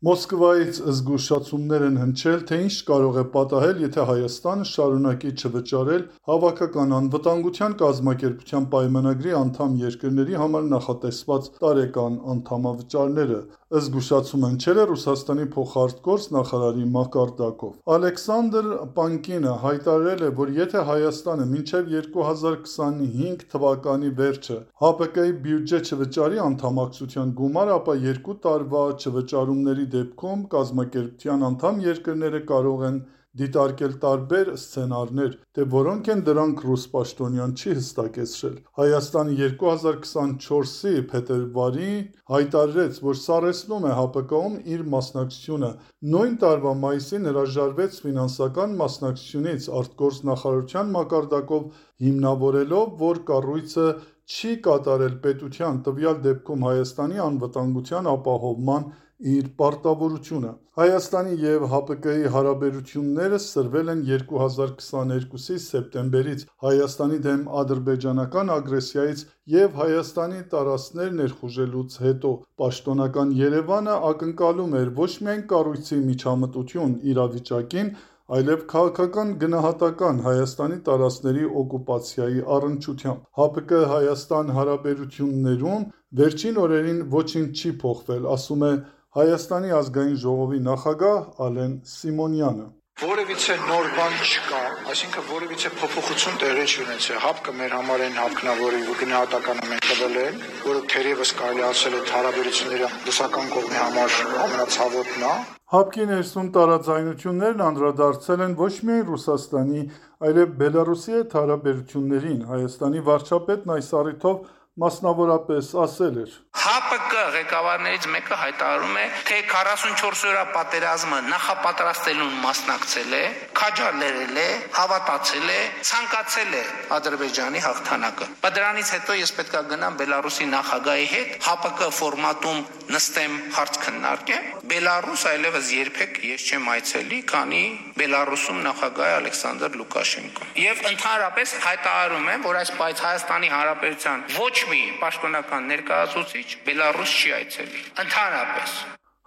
Մոսկվայից զգուշացումներ են հնչել, թե ինչ կարող է պատահել, եթե Հայաստանը շարունակի չվճարել Հավաքական անվտանգության կազմակերպության պայմանագրի անդամ երկրների համար նախատեսված տարեկան անդամավճարները։ Զգուշացումը հնչել է Ռուսաստանի փոխարտգործ նախարարի մակարդակով։ Ալեքսանդր Պանկինը հայտարարել է, որ եթե Հայաստանը մինչև 2025 թվականի վերջը ՀԱՊԿ-ի բյուջե չվճարի անդամակցության գումար, ապա 2 տարվա չվճարումների դեպքում կազմակերպության անդամ երկրները կարող են դիտարկել տարբեր սցենարներ, թե որոնք են դրանք ռուս պաշտոնյան չի հստակեցրել։ Հայաստանը 2024-ի փետրվարին հայտարարեց, որ սառեցնում է ՀԱՊԿ-ում իր մասնակցությունը։ Նույն տարվա մայիսին հրաժարվեց ֆինանսական մասնակցությունից արտգործնախարարության մակարդակով, հիմնավորելով, որ կառույցը չի կատարել պետության, տվյալ դեպքում Հայաստանի անվտանգության ապահովման իր պարտավորությունը։ Հայաստանի և ՀԱՊԿ-ի հարաբերությունները սրվել են 2022-ի սեպտեմբերից Հայաստանի դեմ ադրբեջանական ագրեսիայից և Հայաստանի տարածքներ ներխուժելուց հետո։ Պաշտոնական Երևանը ակնկալում էր ոչ միայն կառույցի միջամտություն իրավիճակին, այլև քաղաքական գնահատական Հայաստանի տարածքների օկուպացիայի առնչությամբ։ ՀԱՊԿ-Հայաստան հարաբերություններում վերջին օրերին ոչինչ չի փոխվել, ասում է Հայաստանի ազգային ժողովի նախագահ Ալեն Սիմոնյանը։ Որևիցե նոր բան չկա, այսինքն որևիցե փոփոխություն տեղի չունեցել։ ՀԱՊԿ-ը մեր համար այն ՀԱՊԿ-ն, որի գնահատականը մենք տվել ենք, որը թերևս կարելի ասել է հարաբերությունների ռուսական կողմի համար ամենացավոտն է։ ՀԱՊԿ-ի ներսում տարաձայնություններն անդրադարձել են ոչ միայն Ռուսաստանի, այլև Բելարուսի հետ հարաբերություններին։ Հայաստանի վարչապետն այս առիթով մասնավորապես ասել էր. ՀԱՊԿ ղեկավարներից մեկը հայտարարում է, թե 44 օրյա պատերազմը նախապատրաստելուն մասնակցել է, քաջալերել է, հավատացել է, ցանկացել է Ադրբեջանի հաղթանակը։ Բայց դրանից հետո ես պետք է գնամ Բելարուսի նախագահի հետ ՀԱՊԿ ֆորմատում նստեմ, հարց քննարկեմ։ Բելարուս այլևս երբեք ես չեմ այցելի, քանի Բելարուսում նախագահ է Ալեքսանդր Լուկաշենկոն։ Եվ ընդհանրապես հայտարարում եմ, որ այս բայց Հայաստանի Հանրապետության ոչ մի պաշտոնական ներկայացուցիչ Բելարուս չի այցելի։ Ընդհանրապես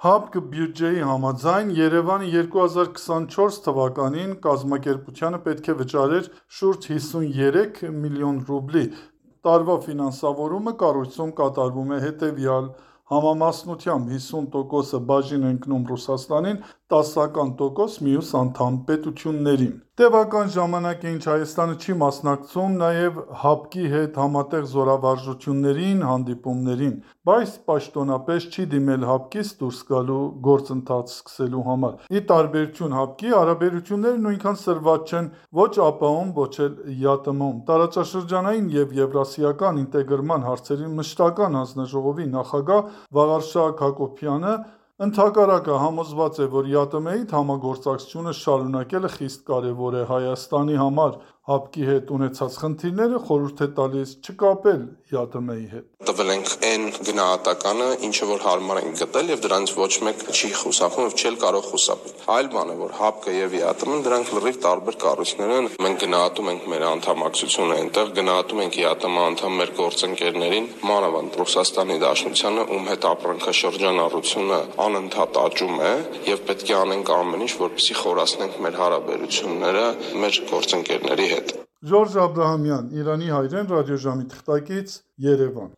ՀԱՊԿ բյուջեի համաձայն Երևանը 2024 թվականին կազմակերպությանը պետք է վճարեր շուրջ 53 միլիոն ռուբլի։ Տարվա ֆինանսավորումը կառույցում կատարվում է հետևյալ համամասնությամբ՝ 50%-ը բաժին ընկնում Ռուսաստանին, 10% մյուս անդամ պետություններին։ Տևական ժամանակ է, ինչ Հայաստանը չի մասնակցում նաև ՀԱՊԿ-ի հետ համատեղ զորավարժություններին, հանդիպումներին, բայց պաշտոնապես չի դիմել ՀԱՊԿ-ից դուրս գալու գործընթաց սկսելու համար։ Ի տարբերություն ՀԱՊԿ-ի, հարաբերությունները նույնքան սրված չեն ոչ ԱՊՀ-ում, ոչ էլ ԵԱՏՄ-ում։ Տարածաշրջանային և եվրասիական ինտեգրման հարցերի մշտական հանձնաժողովի նախագահ Վաղարշակ Հակոբյանը ընդհակառակը համոզված է, որ ԵԱՏՄ-ի հետ համագործակցությունը շարունակելը խիստ կարևոր է Հայաստանի համար։ ՀԱՊԿ-ի հետ ունեցած խնդիրները խորհուրդ է տալիս չկապել ԵԱՏՄ-ի հետ։ Տվել ենք այն գնահատականը, ինչը որ հարմար ենք գտել, եւ դրանից ոչ մեկ չի խուսափում եւ չի կարող խուսափել։ Այլ բան է, որ ՀԱՊԿ-ը եւ ԵԱՏՄ-ն դրանք լրիվ տարբեր կառույցներ են։ Մենք գնահատում ենք մեր անդամակցությունը այնտեղ, գնահատում ենք ԵԱՏՄ անդամ մեր գործընկերներին, մանավանդ Ռուսաստանի Դաշնությանը, ում հետ ապրանքաշրջանառությունը անընդհատ աճում է, եւ պետք է անենք ամեն ինչ, որպեսզի խորացնենք մեր հարաբերությունները մեր գործընկերների հետ։ Ժորժ Աբրահամյան, Իրանի հայրեն, ռադիոժամի թղթակից, Երևան։